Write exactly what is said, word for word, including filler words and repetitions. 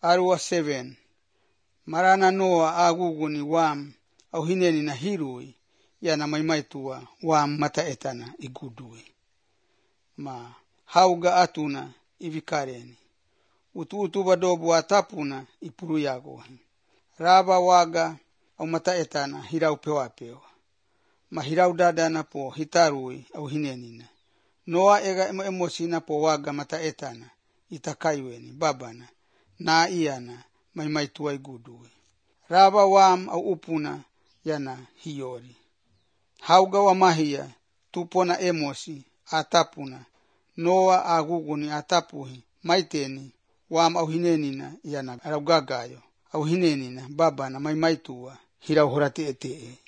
Arua seven. Marana Noa aguguni wam au hineni na hirui yana maimaitua wam mata etana igudui. Ma hauga atuna ivikareni. Utu utu badobu atapuna ipuru yagohi. Raba waga au mata etana hirau pewa pewa. Ma hirau dadana po hitarui au hinenina. Noa ega emo emosina po waga mata etana itakaiweni babana na iana maimaitua igudui. Raba wam au upuna yana hiori. Hauga wa mahia tupona emosi atapuna. Noa aguguni atapuhi maiteni wam au hinenina yana araugagayo. Au hinenina babana maimaitua hirau horati ete.